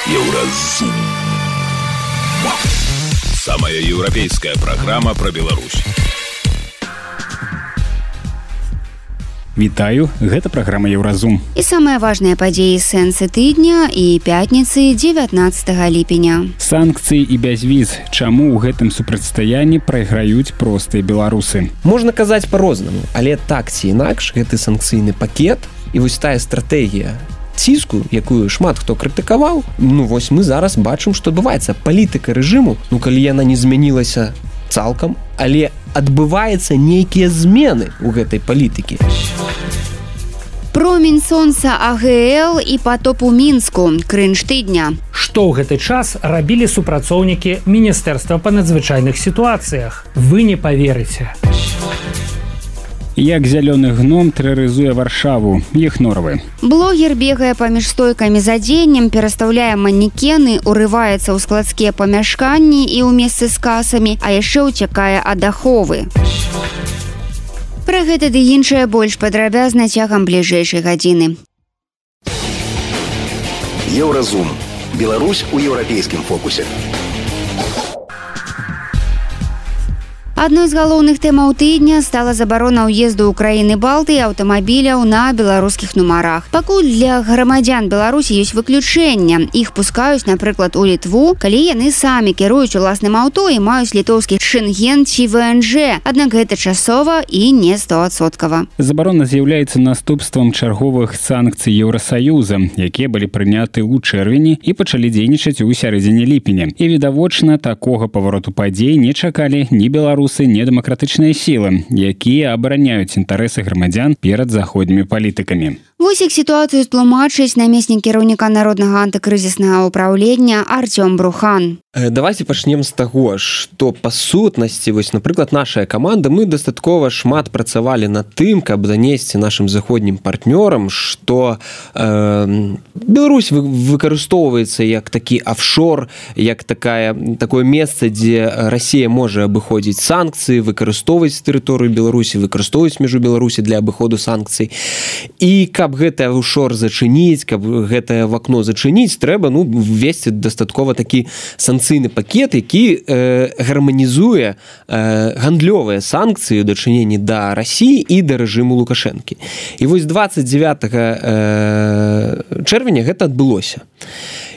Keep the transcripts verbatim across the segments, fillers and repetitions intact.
Еўразум. Самая еўрапейская программа про Беларусь. Вітаю, гэта праграма Еўразум. І самыя важныя падзеі сэнсы тыдня і пятніцы дзевятнаццатага ліпеня. Санкцыі і бязвіз. Чаму ў гэтым супрацьстаянні прайграюць простыя беларусы? Можна казаць па-рознаму, але так ці інакш гэты санкцыйны пакет і вось тая стратэгія ціску, якую шмат хто крытыкаваў, ну вось мы зараз бачым, што адбываецца. Палітыка рэжыму, ну калі яна не змянілася цалкам, але адбываюцца нейкія змены ў гэтай палітыкі. Промень сонца А Г Л і патоп у Мінску. Крынж тыдня. Што ў гэты час рабілі супрацоўнікі Міністэрства па надзвычайных сітуацыях? Вы не паверыце. Як зялёны гном тэрарызуе Варшаву, іх норвы. Блогер бегае паміж стойкамі з адзеннем, перастаўляе манекены, урываецца ў складскія памяшканні і ў месцы з касамі, а яшчэ ўцякае ад аховы. Пра гэта ды іншае больш падрабязна цягам бліжэйшай гадзіны. Еўразум. Беларусь у еўрапейскім фокусе. Адной з галоўных тэмаў тыдня стала забарона ўезду ў краіны Балты аўтамабіляў на беларускіх нумарах. Пакуль для грамадзян Беларусі ёсць выключэння. Іх пускаюць, напрыклад, у Літву, калі яны самі кіруюць уласным аўто і маюць літоўскі шэнген ці В Н Ж. Аднак гэта часова і не стоадсоткава. Забарона з'яўляецца наступствам чарговых санкцый Еўрасаюза, якія былі прыняты ў чэрвені і пачалі дзейнічаць у сярэдзіне ліпеня. І відавочна, такога павароту падзей не чакалі ні беларусы, недэмакратычныя сілы, якія абараняюць інтарэсы грамадзян перад заходнімі палітыкамі. Вось як сітуацыю тлумачыць намеснік кіраўніка народнага антыкрызіснага ўпраўлення Артём Брухан. Давайте пачнем з таго, што па сутнасці, вось, напрыклад, нашая каманда, мы дастаткова шмат працавалі над тым, каб данесці нашым заходнім партнёрам, што э, Беларусь выкарыстоўваецца як такі офшор, як такая, такое месца, дзе Расія можа абыходзіць санкцыі, выкарыстоўваць тэрыторыю Беларусі, выкарыстоўваць мяжу Беларусі для абыходу санкцый. І каб гэты офшор зачыніць, каб гэтае вакно зачыніць, трэба ну, ввесці дастаткова такі санкцыйны пакет, які э, гарманізуе э, гандлёвыя санкцыі ў дачыненні да Расіі і да рэжыму Лукашэнкі. І вось дваццаць дзевятага э, чэрвеня гэта адбылося.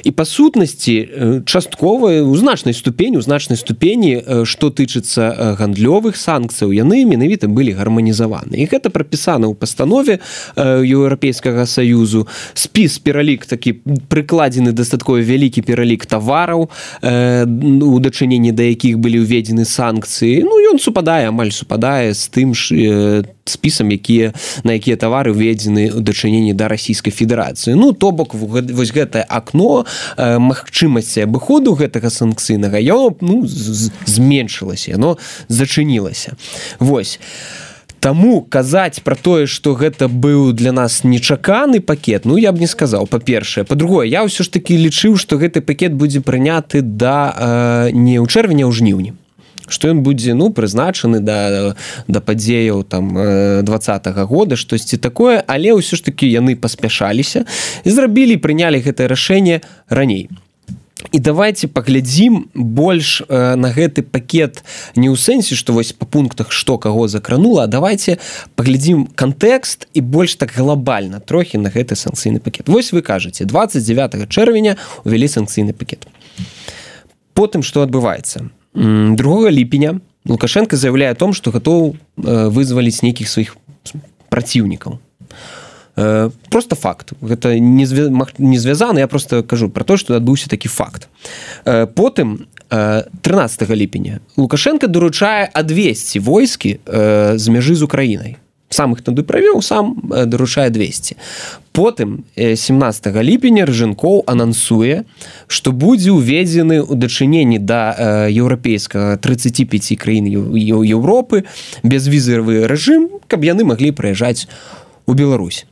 І па сутнасці часткова у значнай ступені, у значнай ступені, што тычыцца гандлёвых санкцыяў, яны менавіта былі гарманізаваны. І гэта прапісана ў пастанове Еўрапейскага Саюзу. Спіс, пералік такі прыкладзены дастаткова вялікі пералік тавараў, у дачыненні да якіх былі ўведзены санкцыі. Ну, ён супадае, амаль супадае з тым ж спісам, якія, на якія тавары ўведзены ў дачыненні да Расійскай Федэрацыі. Ну, то бок, вось гэтае акно магчымасці абыходу гэтага санкцыйнага, яно ну, зменшылася, яно зачынілася. Вось. Таму казаць пра тое, што гэта быў для нас нечаканы пакет, ну, я б не сказаў, па-першае. Па-другое, я ўсё ж такі лічыў, што гэты пакет будзе прыняты да, э, не ў чэрвені, а ў жніўні. Што ён будзе ну, прызначаны да, да падзеяў там, двадцатага года, штосьці такое, але ўсё ж такі яны паспяшаліся і зрабілі, прынялі гэтае рашэнне раней. І давайте паглядзім больш э, на гэты пакет не ў сэнсе, што вось па пунктах што каго закранула, а давайте паглядзім кантэкст і больш так глобальна трохі на гэты санкцыйны пакет. Вось вы кажаце, дваццаць дзевятага чэрвеня увялі санкцыйны пакет. Потым што адбываецца? другога ліпеня Лукашенко заявляе о том, што гатоў вызваліць нейкіх сваіх праціўнікаў. Просто факт. Гэта не звязана, я просто кажу пра то, што адбыўся такі факт. Потым трынаццатага ліпеня Лукашенко даручае адвесці войскі з мяжы з Украінай. Сам іх туды правёў, сам даручае двесце. Потым семнаццатага ліпеня Рыжэнкоў анансуе, што будзе ўведзены ў дачыненні да еўрапейскага трыццаць пяць краін Еўропы безвізавы рэжым, каб яны маглі прыязджаць у Беларусь.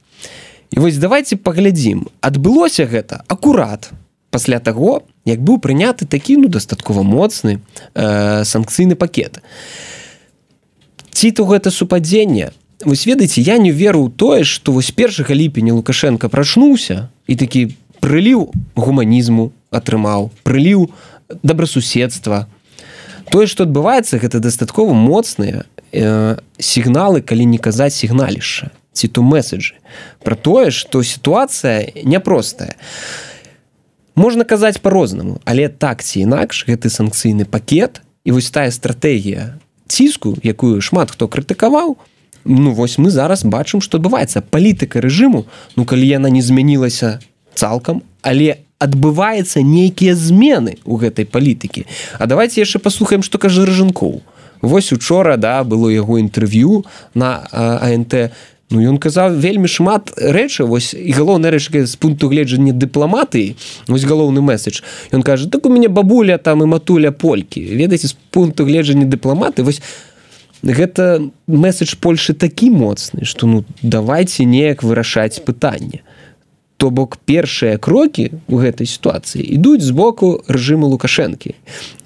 І вось давайте паглядзім. Адбылося гэта акурат пасля таго, як быў прыняты такі ну, дастаткова моцны э, санкцыйны пакет. Ці то гэта супадзенне? Вось ведаеце, я не веру ў тое, што вось першага ліпеня Лукашенко прачнуўся і такі прыліў гуманізму, атрымаў, прыліў добрасуседства. Тое, што адбываецца, гэта дастаткова моцныя э, сігналы, калі не казаць сігналішча, ці то месседжы, пра тое, што сітуацыя няпростая. Можна казаць па-рознаму, але так ці інакш гэты санкцыйны пакет і вось тая стратэгія ціску, якую шмат хто крытыкаваў, ну вось мы зараз бачым, што адбываецца. Палітыка рэжыму, ну калі яна не змянілася цалкам, але адбываецца нейкія змены ў гэтай палітыкі. А давайте яшчэ паслухаем, што кажа Рыжанкоў. Вось учора, да, было яго інтэрв'ю на а эн тэ. Ну, ён казаў вельмі шмат рэчы, вось, і галоўная рэч з пункту гледжання дыпламатыі, вось галоўны месседж. Ён кажа, так у мяне бабуля там і матуля полькі. Ведаеце, з пункту гледжання дыпламаты, вось, гэта месседж Польшы такі моцны, што, ну, давайце неяк вырашаць пытанне. То бок першыя крокі ў гэтай сітуацыі ідуць з боку рэжыму Лукашэнкі.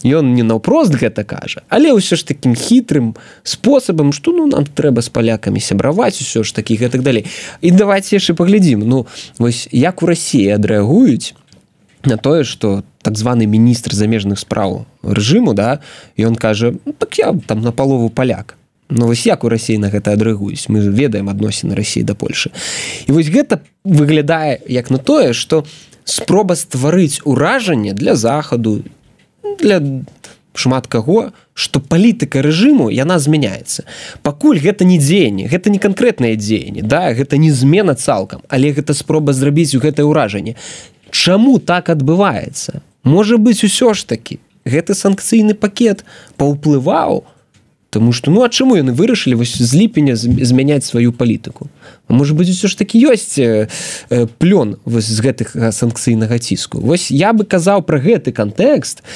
Ён не наўпрост гэта кажа, але ўсё ж такім хітрым спосабам, што ну нам трэба з палякамі сябраваць, усё ж такі гэтак далей. І давайте яшчэ паглядзім, ну вось як у Расіі адрэагуюць на тое, што так званы міністр замежных спраў рэжыму, да, ён кажа, ну, так я там напалову паляк. Ну, вось як у Расіі на гэта адрэагуюць? Мы ведаем адносіны Расіі да Польшы. І вось гэта выглядае як на тое, што спроба стварыць уражанне для Захаду, для шмат каго, што палітыка рэжыму, яна змяняецца. Пакуль гэта не дзеянне, гэта не канкрэтнае дзеянне, да, гэта не змена цалкам, але гэта спроба зрабіць у гэтае ўражанне. Чаму так адбываецца? Можа быць, усё ж такі, гэты санкцыйны пакет паўплываў. Таму што, ну, а чаму яны вырашылі вось з ліпеня змяняць сваю палітыку? А можа быць, усё ж такі ёсць э, э, плён вось з гэтых санкцыйнага ціску. Вось я бы казаў пра гэты кантэкст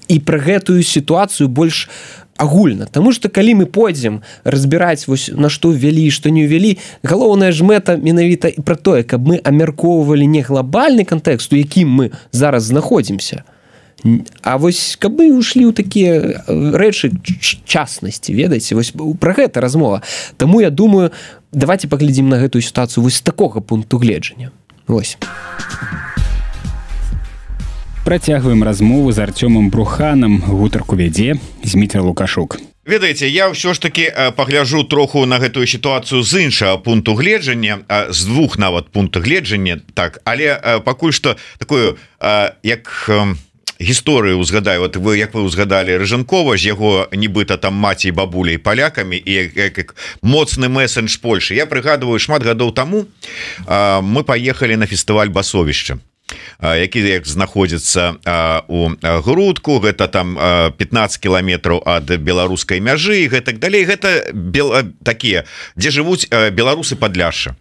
і пра гэтую сітуацыю больш агульна. Таму што калі мы пойдзем разбіраць вось на што ввялі і што не ўвялі, галоўная ж мэта менавіта і пра тое, каб мы абмяркоўвалі не глобальны кантэкст, у якім мы зараз знаходзімся, а вось каб мы ушлі ў такія рэчы частнасці, ведаеце, вось пра гэта размова. Таму я думаю, давайте паглядзім на гэтую сітуацыю вось з такога пункту гледжання. Вось. Працягваем размову з Артёмам Бруханам, гутарку вядзе Зміцер Лукашук. Ведаеце, я ўсё ж таки пагляджу троху на гэтую сітуацыю з іншага пункту гледжання, з двух нават пункту гледжання, так, але пакуль што такую, як гісторыю узгадаю, вот вы як вы узгадалі Рыжанкова з яго нібыта там маці і бабуляй палякамі і як, як моцны месседж Польшы. Я прыгадываю, шмат гадоў таму а, мы паехалі на фестываль Басовішча, а, які як знаходзіцца а, у Грудку, гэта там а, пятнаццаць кіламетраў ад беларускай мяжы і гэтак далей. Гэта бел... такія, дзе жывуць а, беларусы Падляшша.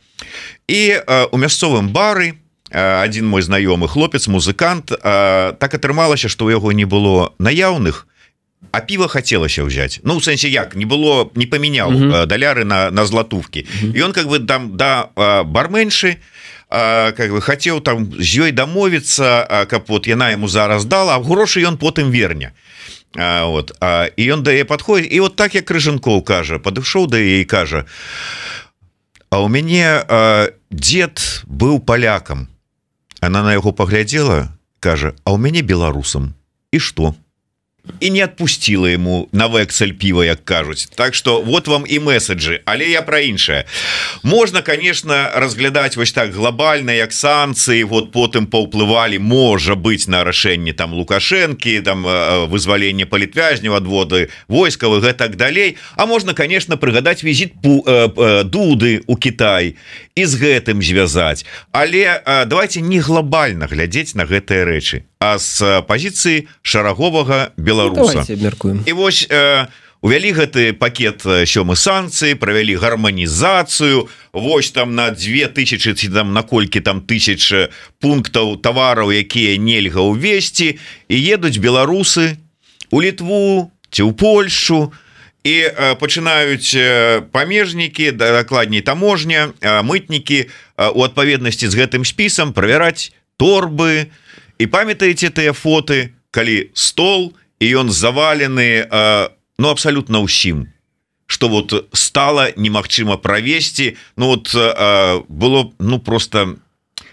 І а, у мясцовым бары один мой знаёмы хлопец, музыкант, так атрымалася, што ў яго не было наяўных, а піва хацелася ўзяць. Ну, у сэнсе як, не было, не памяняў uh -huh. даляры на, на златувкі. Uh -huh. І ён как бы там да барменшы, как бы хацеў там з ёй дамовіцца, каб вот яна яму зараз дала, а грошы ён потым верне. Вот. І ён да яе падходзіць, і вот так як Рыжанкоў кажа, падышоў да яе і кажа: а у мяне дзед быў палякам. Она на яго паглядзела, кажа: а ў мяне беларусам. І што? І не адпусціла ему на вексель піва, як кажуць. Так што вот вам і месседжы, але я пра іншае. Можна, конечно, разглядаць вось так глобальна, як санкцыі, вот потым паўплывалі, можа быць, на рашэнне там Лукашэнкі, там вызвалення палітвязняў, адводы войскавых, гэтак далей. А можна, конечно, прыгадаць візіт Дуды ў Кітай і з гэтым звязаць. Але давайте не глобальна глядзець на гэтыя рэчы, а з пазіцыі шараговага беларуса. Ну, і вось э, увялі гэты пакет сёмы санкцыі, правялі гарманізацыю, вось там на дзве тысячы ці там на колькі там тысяч пунктаў тавараў, якія нельга ўвесці, і едуць беларусы у Літву ці ў Польшу, і э, пачынаюць э, памежнікі, дакладней таможня, э, мытнікі э, у адпаведнасці з гэтым спісам правяраць торбы. І памятаеце тыя фоты, калі стол і ён завалены э, ну абсалютна ўсім, што вот стала немагчыма правесці. Ну вот э, было ну просто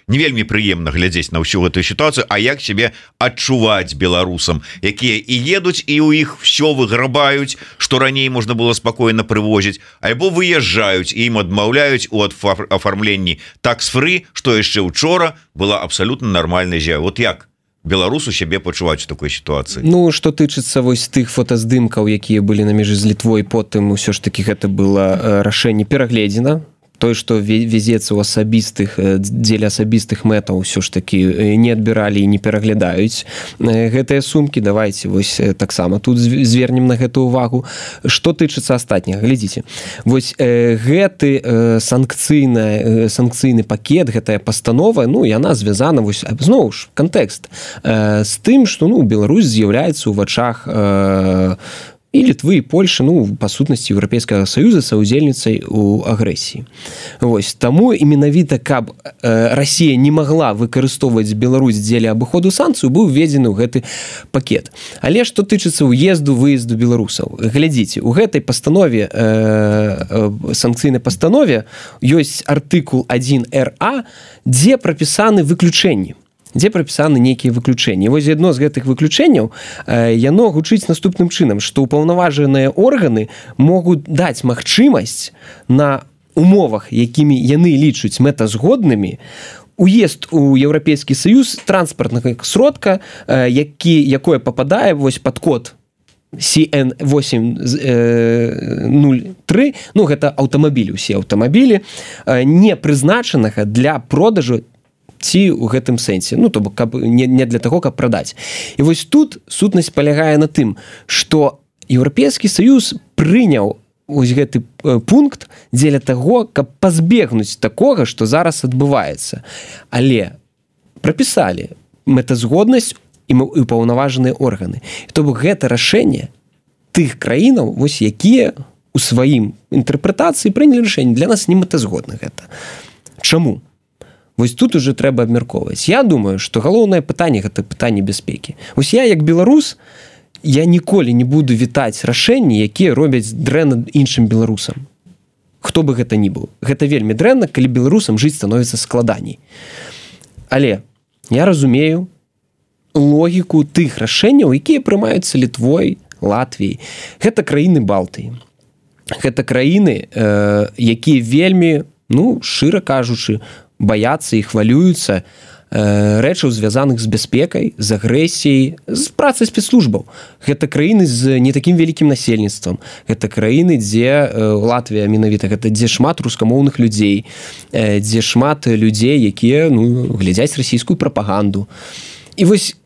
не вельмі прыемна глядзець на ўсю гэтую сітуацыю, а як себе адчуваць беларусам, якія і едуць і ў іх все выграбаюць, што раней можна было спакойна прывозіць, альбо выязджаюць і ім адмаўляюць у афармленні такс-фры, што яшчэ учора была абсалютна нармальная з'ява. Вот як беларусу сябе пачуваць у такой сітуацыі? Ну, што тычыцца вось тых фотаздымкаў, якія былі на межы з Літвой, потым усё ж такі гэта было рашэнне перагледзена. Той, што везецца ў асабістых, дзеля асабістых мэтаў ўсё ж такі не адбіралі і не пераглядаюць гэтыя сумкі. Давайте вось таксама тут звернем на гэту увагу. Што тычыцца астатняга, глядзіце. Вось гэты санкцыйны, санкцыйны пакет, гэтая пастанова, ну, яна звязана, вось, зноў ж, кантэкст з тым, што, ну, Беларусь з'яўляецца ў вачах і Літвы, і Польши, ну, па сутнасці Еўрапейскага Саюза саўдзельніцай у агрэсіі. Вось, таму і менавіта, каб э, Расія не магла выкарыстоўваць Беларусь дзеля абыходу санкцыю, быў введзены ў гэты пакет. Але што тычыцца ўезду, выезду беларусаў, глядзіце, у гэтай пастанове, э, э, санкцыйнай пастанове ёсць артыкул адзін эр а, дзе прапісаны выключэнні. дзе прапісаны нейкія выключэнні. Вось адно з гэтых выключэнняў э, яно гучыць наступным чынам, што ўпаўнаважаныя органы могуць даць магчымасць на умовах, якімі яны лічуць мэтазгоднымі, уезд у Еўрапейскі Саюз транспартнага сродка, э, які, якое пападае вось пад код сі эн восемь нуль тры, ну гэта аўтамабілі, усе аўтамабілі, э, не прызначанага для продажу ці ў гэтым сэнсе, ну, то бок, каб, не, не для таго, каб прадаць. І вось тут сутнасць палягае на тым, што Еўрапейскі Саюз прыняў вось гэты пункт дзеля таго, каб пазбегнуць такога, што зараз адбываецца. Але прапісалі мэтазгоднасць і ўпаўнаважаныя органы. То бок гэта рашэнне тых краінаў, вось якія у сваім інтэрпрэтацыі прынялі рашэнне. Для нас не мэтазгодна гэта. Чаму? Вось тут уже трэба абмяркоўваць. Я думаю, што галоўнае пытанне гэта пытанне бяспекі. Вось я, як беларус, я ніколі не буду вітаць рашэнні, якія робяць дрэнна іншым беларусам. Хто бы гэта ни быў. Гэта вельмі дрэнна, калі беларусам жыць становіцца складаней. Але я разумею логіку тых рашэнняў, якія прымаюцца Літвой, Латвіяй. Гэта краіны Балтыі. Гэта краіны, э, якія вельмі, ну, шчыра кажучы, баяцца і хвалююцца э, рэчаў, звязаных з бяспекай, з агрэсіяй, з працай спецслужбаў. Гэта краіны з не такім вялікім насельніцтвам. Гэта краіны, дзе э, Латвія менавіта, гэта дзе шмат рускамоўных людзей, э, дзе шмат людзей, якія, ну, глядзяць расійскую прапаганду. І вось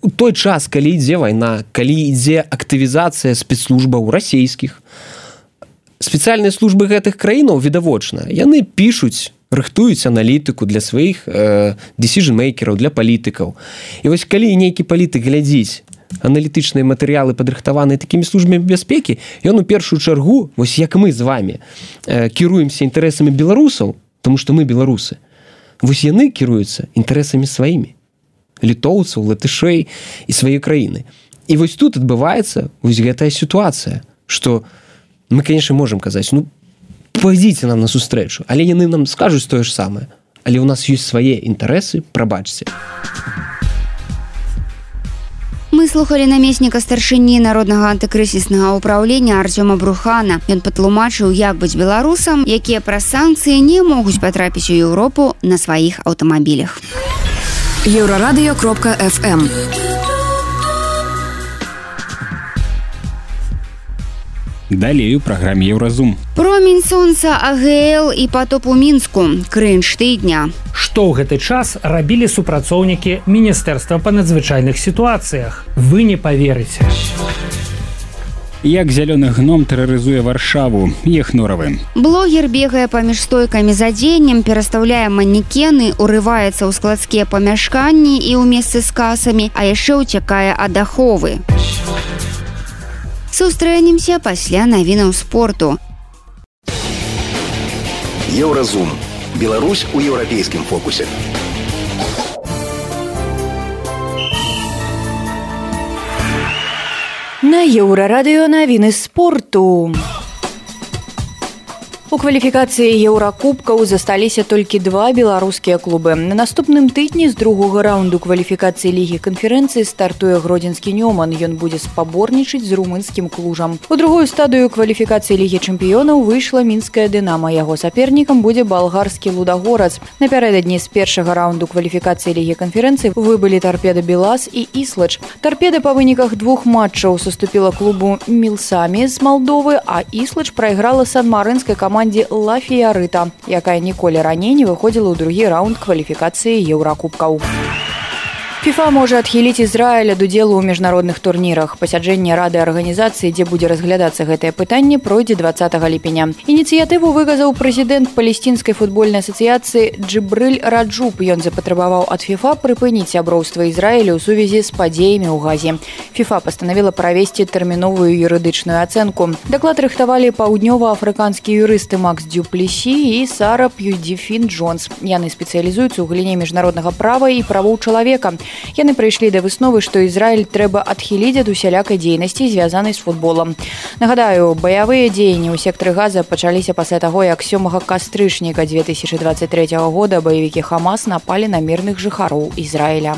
у той час, калі ідзе вайна, калі ідзе актывізацыя спецслужбаў расійскіх, спецыяльныя службы гэтых краінаў, відавочна, яны пішуць, рыхтуюць аналітыку для сваіх э, decision-мейкераў, для палітыкаў. І вось калі нейкі палітык глядзіць аналітычныя матэрыялы, падрыхтаваныя такімі службамі бяспекі, ён у першую чаргу, вось як мы з вамі, э, кіруемся інтарэсамі беларусаў, тому што мы беларусы, вось яны кіруюцца інтарэсамі сваімі, літоўцаў, латышэй і сваёй краіны. І вось тут адбываецца вось гэтая сітуацыя, што мы, конечно, можам казаць, ну, пойдзіце нам на сустрэчу, але яны нам скажуць тое ж самае. Але ў нас ёсць свае інтарэсы, прабачце. Мы слухали намесніка старшыні народнага антыкрызіснага ўпраўлення Артёма Брухана. Ён патлумачыў, як быць беларусам, якія праз санкцыі не могуць патрапіць у Еўропу на сваіх аўтамабілях. еўрарадыё кропка эф эм. Далей у праграме Еўразум. Промень сонца, а гэ эл і патоп у Мінску. Крынж тыдня. Што ў гэты час рабілі супрацоўнікі Міністэрства па надзвычайных сітуацыях? Вы не паверыце. Як зялёны гном тэрарызуе Варшаву, Ехноравы. Блогер бегае паміж стойкамі з адзеннем, перастаўляе манекены, урываецца ў складскія памяшканні і ў месцы з касамі, а яшчэ ўцякае ад аховы. Сустрэнемся пасля навінаў спорту. Еўразум. Беларусь у еўрапейскім фокусе. На Еўрарадыё навіны спорту. У кваліфікацыі еўракубкаў засталіся толькі два беларускія клубы. На наступным тыдні з другога раунду кваліфікацыі лігі канферэнцыі стартуе гродзенскі Нёман. Ён будзе спаборнічаць з румынскім Клужам. У другую стадыю кваліфікацыі лігі чэмпіёнаў выйшла мінская Дынама. Яго сапернікам будзе балгарскі Лудагорац. Напярэдадні з першага раунду кваліфікацыі лігі канферэнцыі выбылі Торпеда Белас і Іслач. Торпеда па выніках двух матчаў саступіла клубу Мілсамі з Малдовы, а Іслач прайграла сан-марынскай камандзе Ла Фіярыта, якая ніколі раней не выходзіла ў другі раунд кваліфікацыі еўракубкаў. ФІФА можа адхіліць Ізраіль ад удзелу ў міжнародных турнірах. Пасяджэнне рады арганізацыі, дзе будзе разглядацца гэтае пытанне, пройдзе дваццатага ліпеня. Ініцыятыву выказаў прэзідэнт палестынскай футбольнай асацыяцыі Джыбрыль Раджуб. Ён запатрабаваў ад ФІФА прыпыніць сяброўства Ізраіля ў сувязі з падзеямі ў Газе. ФІФА пастанавіла правесці тэрміновую юрыдычную ацэнку. Даклад рыхтавалі паўднёва-афрыканскія юрысты Макс Дюплесі і Сара П'юдзіфін Джонс. Яны спецыялізуюцца ў галіне міжнароднага права і правоў чалавека. Яны прыйшлі да высновы, што Ізраіль трэба адхіліць ад усялякай дзейнасці, звязанай з футболам. Нагадаю, баявыя дзеянні ў сектары Газа пачаліся пасля таго, як сёмага кастрычніка две тысячы дваццаць трэцяга года баевікі Хамас напалі на мірных жыхароў Ізраіля.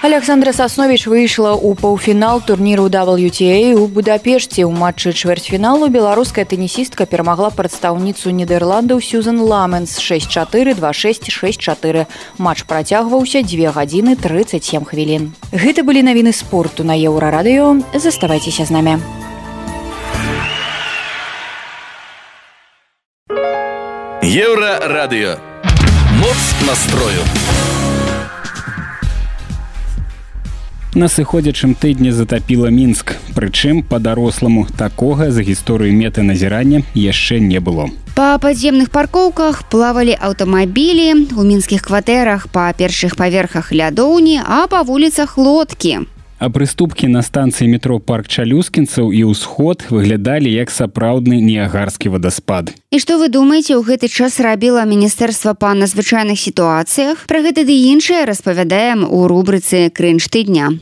Александра Сасновіч выйшла ў паўфінал турніру дабл ю ти эй у Будапешце. У матчы чвэрцьфіналу беларуская тэнісістка перамагла прадстаўніцу Нідерландаў Сюзан Ламенс шэсць чатыры, два шэсць, шэсць чатыры. Матч працягваўся дзве гадзіны трыццаць сем хвілін. Гэта былі навіны спорту на Еўрарадыё. Заставайцеся з намі. Еўрарадыё. Моц настрою. На сыходзячым тыдні затапіла Мінск. Прычым, па-даросламу, такога за гісторыю метаназірання яшчэ не было. Па падземных паркоўках плавалі аўтамабілі, у мінскіх кватэрах па першых паверхах лядоўні, а па вуліцах лодкі. А прыступкі на станцыі метро Парк Чалюскінцаў і ўсход выглядалі як сапраўдны ніягарскі вадаспад. І што вы думаеце, ў гэты час рабіла Міністэрства па надзвычайных сітуацыях? Пра гэта ды іншае распавядаем у рубрыцы «Крынж тыдня».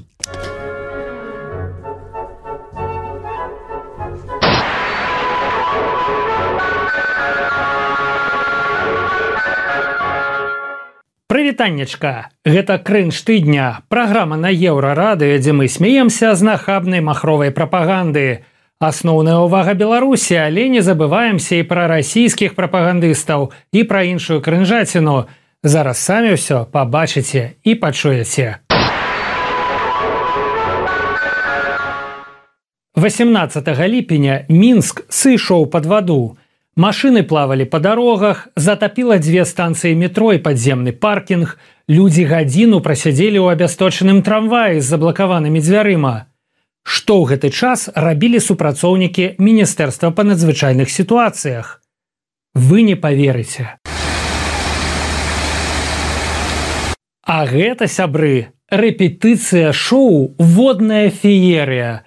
Прывітаннечка! Гэта «Крынж тыдня», праграма на Еўрарадыё, дзе мы смеемся з нахабнай махровай прапаганды. Асноўная ўвага Беларусі, але не забываемся і пра расійскіх прапагандыстаў, і пра іншую крынжаціну. Зараз самі ўсё пабачыце і пачуеце. васемнаццатага ліпеня Мінск сышоў пад ваду. Машыны плавалі па дарогах, затапіла дзве станцыі метро і падземны паркінг, людзі гадзіну прасядзелі ў абясточаным трамваі з заблакаванымі дзвярыма. Што ў гэты час рабілі супрацоўнікі Міністэрства па надзвычайных сітуацыях? Вы не паверыце. А гэта, сябры, рэпетыцыя шоу «Водная феерыя».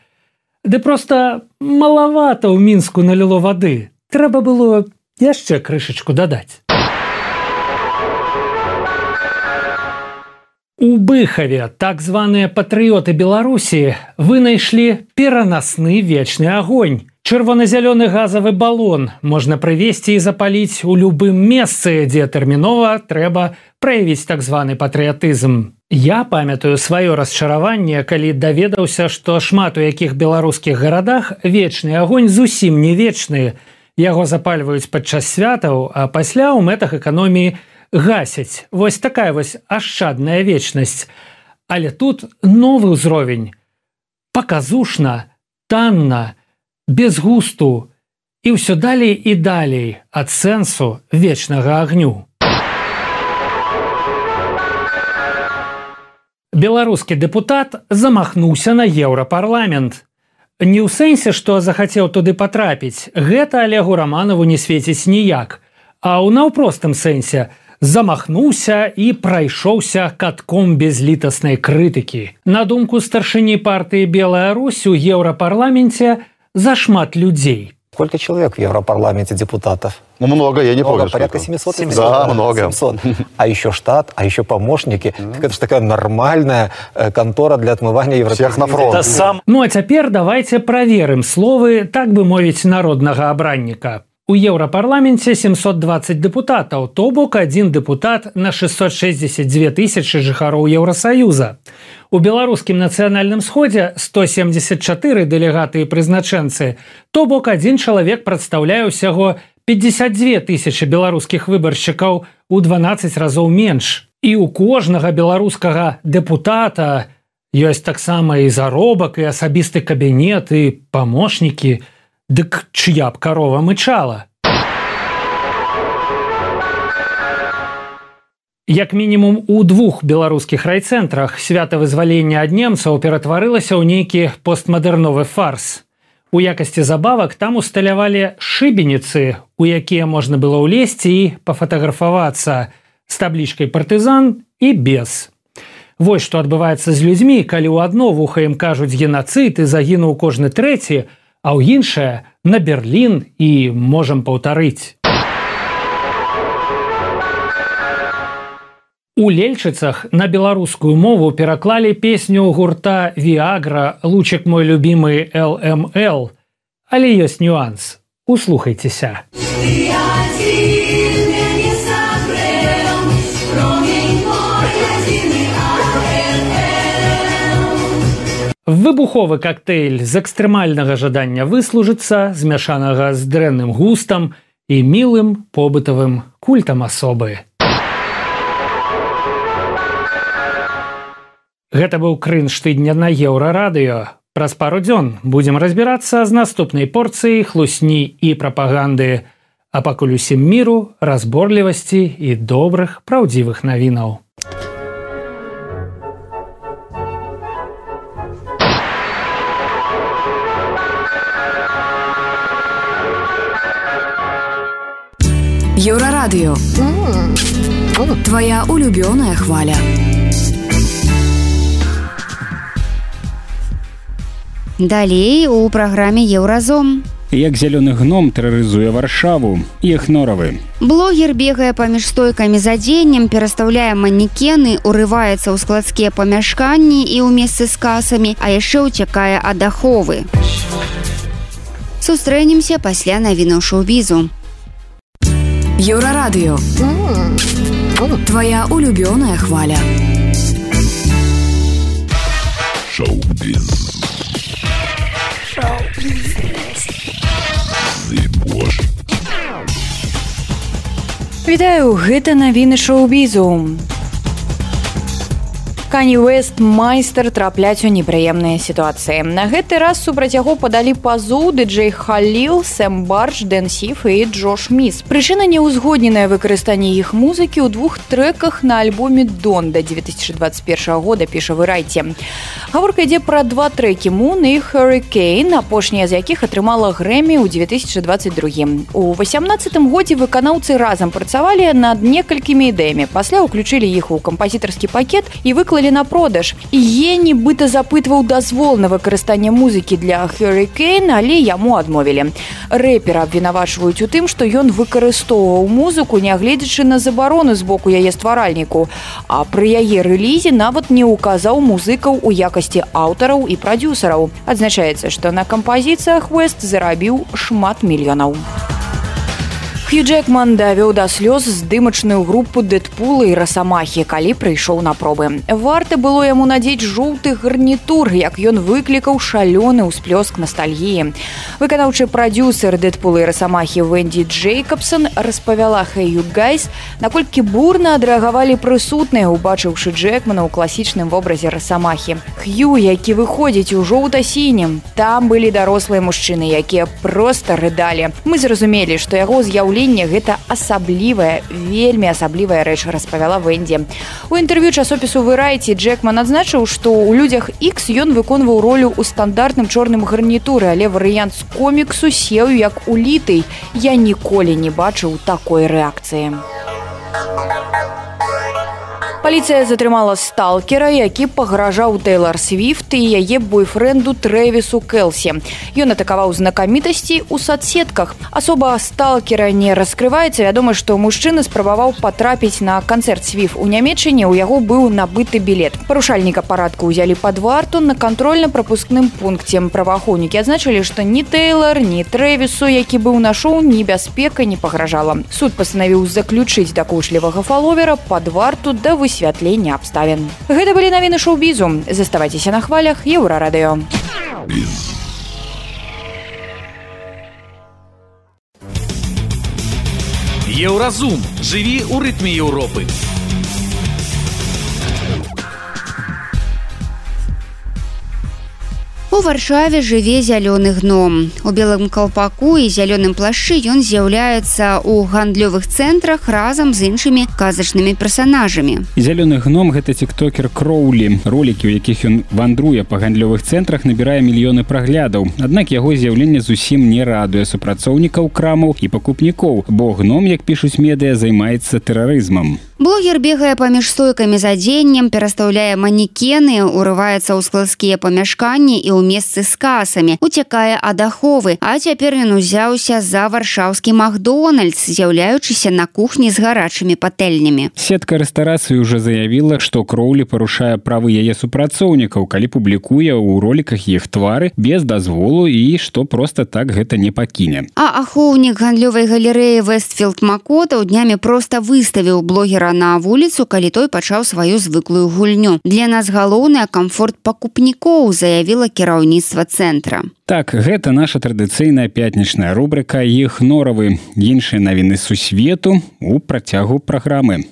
Ды проста малавата ў Мінску наліло вады. Трэба было яшчэ крышачку дадаць. У Быхаве так званыя патрыёты Беларусі вынайшлі перанасны вечны агонь. Чырвона-зялёны газавы балон можна прывезці і запаліць у любым месцы, дзе тэрмінова трэба праявіць так званы патрыятызм. Я памятаю сваё расчараванне, калі даведаўся, што шмат у якіх беларускіх гарадах вечны агонь зусім не вечны. Яго запальваюць падчас святаў, а пасля ў мэтах эканоміі гасяць. Вось такая вось ашчадная вечнасць. Але тут новы ўзровень. Паказушна, танна, без густу і ўсё далей і далей ад сэнсу вечнага агню. Беларускі дэпутат замахнуўся на Еўрапарламент. Не ў сэнсе, што захацеў туды патрапіць, гэта Олегу Романову не свеціць ніяк, а ў наўпростым сэнсе замахнуўся і прайшоўся катком безлітаснай крытыкі. На думку старшыні партыі «Белая Русь» у Еўрапарламенце зашмат людзей. Сколько человек в Европарламенте депутатов? Ну, много, я не много, помню. Порядка семьсот. семьсот. Да, много. семьсот. А еще штат, а еще помощники. Mm-hmm. Так это же такая нормальная э, контора для отмывания европейских. Всех на фронт. Сам... Ну, а теперь давайте проверим словы, так бы мовить, народного обранника. У Еўрапарламенце семьсот двадцать дэпутатаў, то бок один дэпутат на шестьсот шестьдесят две тысячи жыхароў Еўрасаюза. У беларускім нацыянальным сходзе сто семьдесят четыре дэлегаты і прызначэнцы, то бок один чалавек прадстаўляе ўсяго пятьдесят две тысячи беларускіх выбаршчыкаў, у дванаццаць разоў менш. І у кожнага беларускага дэпутата ёсць таксама і заробак, і асабісты кабінет, і памочнікі. Дык чыя б карова мычала? Як мінімум у двух беларускіх райцэнтрах свята вызвалення ад немцаў ператварылася ў нейкі постмадэрновы фарс. У якасці забавак там усталявалі шыбеніцы, у якія можна было ўлезці і пафатаграфавацца з таблічкай «партызан» і без. Вось што адбываецца з людзьмі, калі ў адно вуха ім кажуць генацыд і загінуў кожны трэці, а ў іншае на Берлін і можам паўтарыць. У Лельчыцах на беларускую мову пераклалі песню гурта «Виагра» «Лучик мой любимый эл эм эл». Але ёсць нюанс. Услухайцеся. Выбуховы коктейль з экстрэмальнага жадання выслужыцца, змяшанага з дрэнным густам і мілым побытавым культам асобы. Гэта быў крынж тыдня на Еўрарадыё. Праз пару дзён будзем разбірацца з наступнай порцыяй хлусні і прапаганды, а пакуль усім міру, разборлівасці і добрых, праўдзівых навінаў. Еўрарадыё. Твоя улюбёная хваля. Далей у праграме «Еўразом». Як зялёны гном тэрарызуе Варшаву, Ехноравы. Блогер бегае паміж стойкамі з адзеннем, перастаўляе манекены, урываецца ў складскія памяшканні і ў месцы з касамі, а яшчэ ўцякае ад аховы. Сустрэнемся пасля навінаў шоу-бізу. Еўрарадыё. Твоя улюбёная хваля. Шоу-біз. Вітаю, гэта навіны шоу-бізу. Кані Уэст майстар трапляць у непрыемныя сітуацыі. На гэты раз супраць яго падалі пазоў ды-джэй Халіл, Сэм Барч, Дэн Сіф і Джош Міс. Прычына неўзгодненае выкарыстанне іх музыкі ў двух трэках на альбоме «Донда» две тысячи двадцать первого года, піша Variety. Гаворка ідзе пра два трэкі «Moon» і «Hurricane», апошняя з якіх атрымала Грэмі ў две тысячи двадцать другім. У васямнаццатым годзе выканаўцы разам працавалі над некалькімі ідэямі. Пасля ўключылі іх у кампазітарскі пакет і выклалі на продаж. Е нібыта запытваў дазвол на выкарыстанне музыкі для «Hurricane», але яму адмовілі. Рэпера абвінавачваюць у тым, што ён выкарыстоўваў музыку, нягледзячы на забарону з боку яе стваральніку, а пры яе рэлізе нават не ўказаў музыкаў у якасці аўтараў і прадзюсараў. Адзначаецца, што на кампазіцыях Уэст зарабіў шмат мільёнаў. Хью Джекман давёў да слёз здымачную групу Дэдпула і Расамахі, калі прыйшоў на пробы. Варта было яму надзець жоўты гарнітур, як ён выклікаў шалёны ўсплёск настальгіі. Выканаўчы прадзюсер Дэдпула і Расамахі Венді Джейкабсон распавяла «Hey you guys», наколькі бурна адрэагавалі прысутныя, убачыўшы Джекмана ў класічным вобразе Расамахі. Хью, які выходзіць у жоўта-сінім, там былі дарослыя мужчыны, якія проста рыдалі. Мы зразумелі, што яго з'яўленне гэта асаблівая, вельмі асаблівая рэч, распавяла Венді. У інтэрв'ю часопісу Variety Джекман адзначыў, што ў «Людзях Ікс» ён выконваў ролю ў стандартным чорным гарнітуры, але варыянт з коміксу сеў як улітый. Я ніколі не бачыў такой рэакцыі. Паліцыя затрымала сталкера, які пагражаў Тэйлар Свіфт і яе бойфрэнду Трэвісу Келсі. Ён атакаваў знакамітасці ў соцсетках. Асоба сталкера не раскрываецца. Вядома, што мужчына спрабаваў патрапіць на канцэрт Свіфт у Нямецчыне, у яго быў набыты білет. Парушальніка парадку ўзялі пад варту на кантрольна-прапускным пункце. Праваахоўнікі адзначылі, што ні Тэйлар, ні Трэвісу, які быў на шоу, небяспека не пагражала. Суд пастанавіў заключыць дакучлівага фаловера пад варту да высвятлення абставін. Гэта былі навіны шоу-бізу. Заставайцеся на хвалях Еўрарадыё. Еўразум. Жыві ў рытме Еўропы. У Варшаве жыве зялёны гном. У белым калпаку і зялёным плашчы ён з'яўляецца ў гандлёвых цэнтрах разам з іншымі казачнымі персанажамі. Зялёны гном – гэта тиктокер Кроулі. Ролікі, у якіх ён вандруе па гандлёвых цэнтрах, набірае мільёны праглядаў. Аднак яго з'яўленне зусім не радуе супрацоўнікаў крамаў і пакупнікоў, бо гном, як пішуць медыа, займаецца тэрарызмам. Блогер бегае паміж стойкамі з адзеннем, перастаўляе манекены, урываецца ў складскія памяшканні і ў месцы з касамі, уцякае ад аховы, а цяпер ён узяўся за варшаўскі Макдональдс, з'яўляючыся на кухні з гарачымі патэльнямі. Сетка рэстарацыі ўжо заявіла, што Кроулі парушае правы яе супрацоўнікаў, калі публікуе ў роліках іх твары без дазволу і што проста так гэта не пакіне. А ахоўнік гандлёвай галерэі Вестфілд Макота днямі проста выставіў блогера на вуліцу, калі той пачаў сваю звыклую гульню. Для нас галоўнае камфорт пакупнікоў, заявіла кіраўніцтва цэнтра. Так, гэта наша традыцыйная пятнічная рубрика «Іх норавы». Іншыя навіны сусвету у працягу праграмы.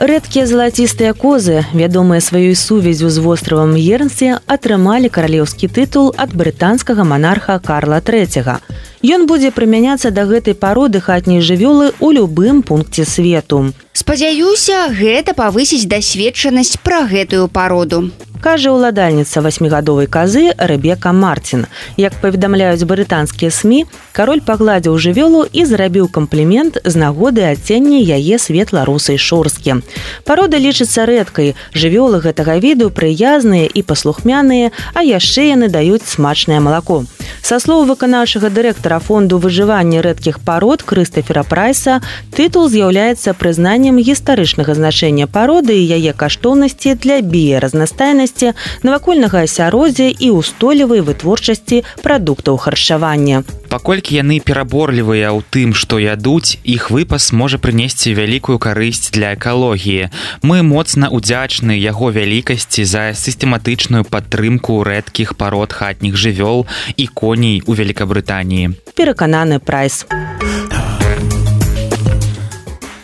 Рэдкія залацістыя козы, вядомыя сваёй сувяззю з востравам Ернсі, атрымалі каралеўскі тытул ад брытанскага манарха Карла трэцяга. Ён будзе прымяняцца да гэтай пароды хатняй жывёлы ў любым пункце свету. Спадзяюся, гэта павысіць дасведчанасць пра гэтую пароду. Кажа ўладальніца васьмігадовай казы Рэбека Мартин. Як паведамляюць брытанскія СМІ, кароль пагладзіў жывёлу і зрабіў камплімент з нагоды адцення яе светла-русай шорсткі. Парода лічыцца рэдкай. Жывёлы гэтага віду прыязныя і паслухмяныя, а яшчэ яны даюць смачнае малако. Са слоў выканаўчага дырэктара фонду выжывання рэдкіх парод Крыстафера Прайса, тытул з'яўляецца прызнаннем гістарычнага значэння пароды і яе каштоўнасці для біяразнастайнасці, навакольнага асяроддзя і устойлівай вытворчасці прадуктаў харчавання. Паколькі яны пераборлівыя ў тым, што ядуць, іх выпас можа прынесці вялікую карысць для экалогіі. Мы моцна ўдзячны яго вялікасці за сістэматычную падтрымку рэдкіх парод хатніх жывёл і коней у Великабрытаніі. Перакананы Прайс.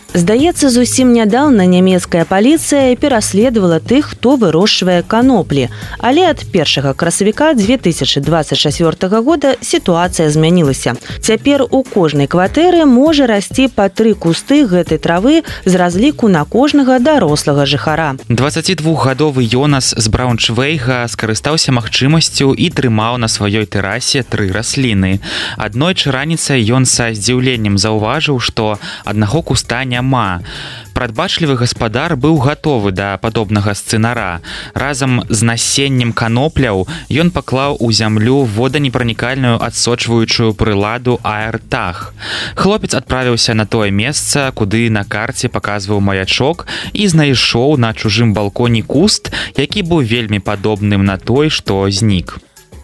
Здаецца, зусім нядаўна нямецкая паліцыя пераследавала тых, хто вырошчвае каноплі. Але ад першага красавіка дзве тысячы дваццаць чацвёртага года сітуацыя змянілася. Цяпер у кожнай кватэры можа расці па тры кусты гэтай травы з разліку на кожнага дарослага жыхара. дваццацідвухгадовы Йонас з Брауншвейга скарыстаўся магчымасцю і трымаў на сваёй тэрасе тры расліны. Аднойчы раніцай ён са здзіўленнем заўважыў, што аднаго куста няма. Прадбачлівы гаспадар быў гатовы да падобнага сцэнара. Разам з насеннем канопляў ён паклаў у зямлю воданепранікальную адсочваючую прыладу аэртаг. Хлопец адправіўся на тое месца, куды на карце паказваў маячок, і знайшоў на чужым балконе куст, які быў вельмі падобным на той, што знік.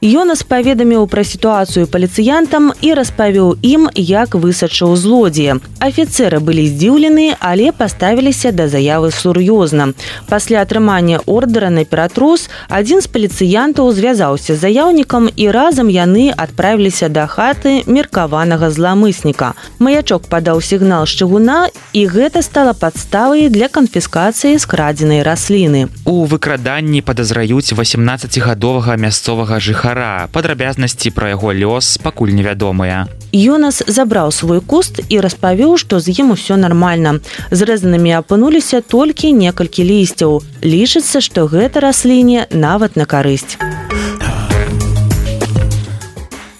Йонас паведаміў пра сітуацыю паліцыянтам і распавёў ім, як высачыў злодзея. Афіцэры былі здзіўлены, але паставіліся да заявы сур'ёзна. Пасля атрымання ордэра на ператрус, адзін з паліцыянтаў звязаўся з заяўнікам і разам яны адправіліся да хаты меркаванага зламысніка. Маячок падаў сігнал з чыгуна, і гэта стала падставай для канфіскацыі скрадзенай расліны. У выкраданні падазраюць васемнаццацігадовага мясцовага жыхара. Падрабязнасці пра яго лёс пакуль невядомыя. Йонас забраў свой куст і распавёў, што з ім усё нармальна. Зрэзанымі апынуліся толькі некалькі лісцяў. Лічыцца, што гэта расліне нават на карысць.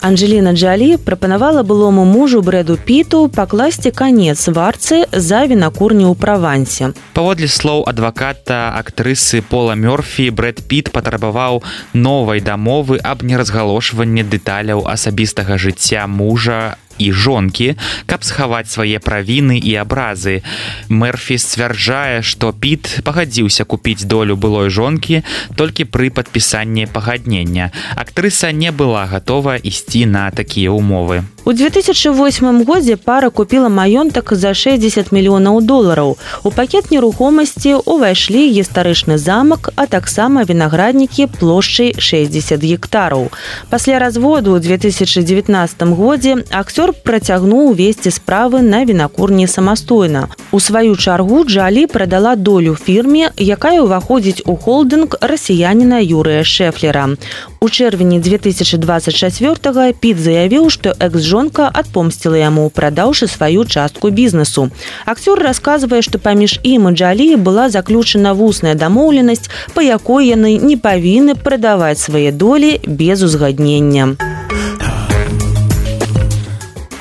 Анджеліна Джолі прапанавала былому мужу Брэду Піту пакласці канец варцы за вінакурню ў Правансе. Паводле слоў адваката актрысы Пола Мёрфі, Брэд Піт патрабаваў новай дамовы аб неразгалошванні дэталяў асабістага жыцця мужа і жонкі, каб схаваць свае правіны і абразы. Мэрфі сцвярджае, што Піт пагадзіўся купіць долю былой жонкі толькі пры падпісанні пагаднення. Актрыса не была гатова ісці на такія ўмовы. У две тысячи восьмым годзе пара купіла маёнтак за шэсцьдзесят мільёнаў долараў. У пакет нерухомасці ўвайшлі гістарычны замак, а таксама вінаграднікі плошчай шэсцьдзесят гектараў. Пасля разводу ў две тысячи дзевятнаццатым годзе акцёр працягнуў весці справы на вінакурні самастойна. У сваю чаргу Джолі прадала долю фірме, якая ўваходзіць у холдынг расіяніна Юрыя Шэфлера. У чэрвені две тысячи двадцать чацвёртага Піт заявіў, што экс-жонка адпомсціла яму, прадаўшы сваю частку бізнесу. Акцёр расказвае, што паміж ім і Джолі была заключана вусная дамоўленасць, па якой яны не павінны прадаваць свае долі без узгаднення.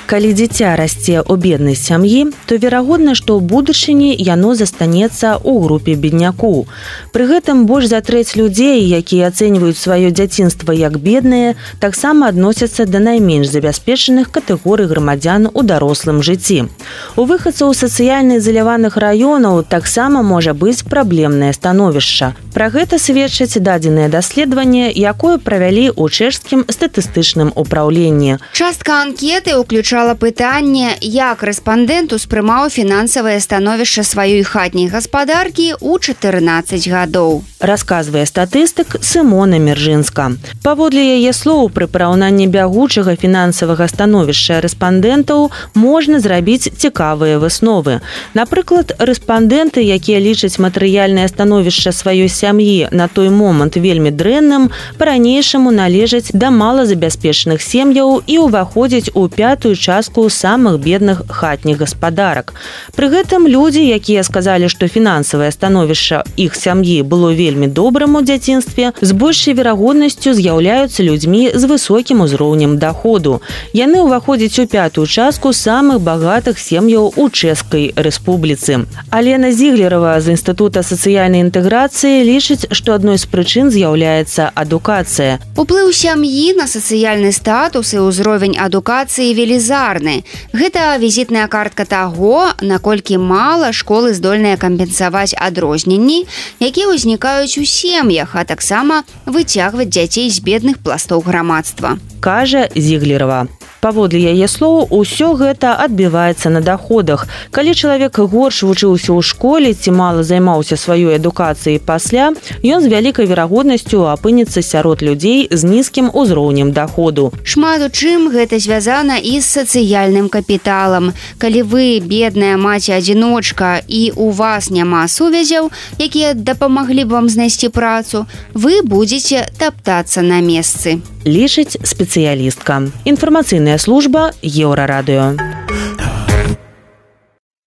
Калі дзіця расце ў беднай сям'і, то верагодна, што ў будучыні яно застанецца ў групе бедняку. Пры гэтым больш за трэць людзей, якія ацэньваюць сваё дзяцінства як беднае, таксама адносяцца да найменш забяспечаных катэгорый грамадзян у дарослым жыцці. У выхадцаў сацыяльна ізаляваных раёнаў таксама можа быць праблемнае становішча. Пра гэта сведчаць дадзеныя даследаванне, якое правялі ў чэшскім статыстычным упраўленні. Частка анкеты ўключала пытанне, як рэспандэнт успрымаў фінансавае становішча сваёй хатняй гаспадаркі ў чатырнаццаць гадоў. Расказвае статыстык Сымона Мержынска. Паводле яе слоў, пры параўнанні бягучага фінансавага становішча рэспандэнтаў можна зрабіць цікавыя высновы. Напрыклад, рэспандэнты, якія лічаць матэрыяльнае становішча сваёй сям'і на той момант вельмі дрэнным, па-ранейшаму належаць да малазабяспечаных сем'яў і ўваходзяць у пятую частку самых бедных хатніх гаспадарак. Пры гэтым людзі, якія сказалі, што фінансавае становішча іх сям'і было вельмі добрым у дзяцінстве, з большай верагоднасцю з'яўляюцца людзьмі з высокім узроўнем даходу. Яны ўваходзяць у пятую частку самых багатых сем'яў у Чэшскай рэспубліцы. Алена Зіглерова з Інстытута сацыяльнай інтэграцыі лічыць, што адной з прычын з'яўляецца адукацыя. Уплыў сям'і на сацыяльны статус і ўзровень адукацыі велізарны. Гэта візітная картка таго, наколькі мала школы здольныя кампенсаваць адрозненні, якія ўзнікаюць у сем'ях, а таксама выцягваць дзяцей з бедных пластоў грамадства. Кажа Зіглерова. Паводле яе слоў, усё гэта адбіваецца на даходах. Калі чалавек горш вучыўся ў школе ці мала займаўся сваёй адукацыяй пасля, ён з вялікай верагоднасцю апынецца сярод людзей з нізкім узроўнем даходу. Шмат у чым гэта звязана і з сацыяльным капіталам. Калі вы бедная маці-адзіночка і у вас няма сувязяў, якія дапамаглі б вам знайсці працу, вы будзеце таптацца на месцы. Лічыць спецыялістка. Інфармацыйная служба Еўрарадыё.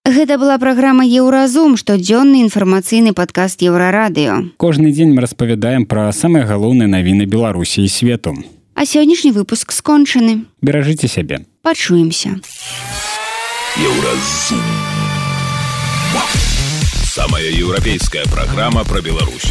Гэта была праграма «Еўразум», штодзённы інфармацыйны падкаст Еўрарадыё. Кожны дзень мы распавядаем пра самыя галоўныя навіны Беларусі і свету. А сённяшні выпуск скончаны. Беражыце сябе. Пачуемся. Еўразум. Самая еўрапейская праграма пра Беларусь.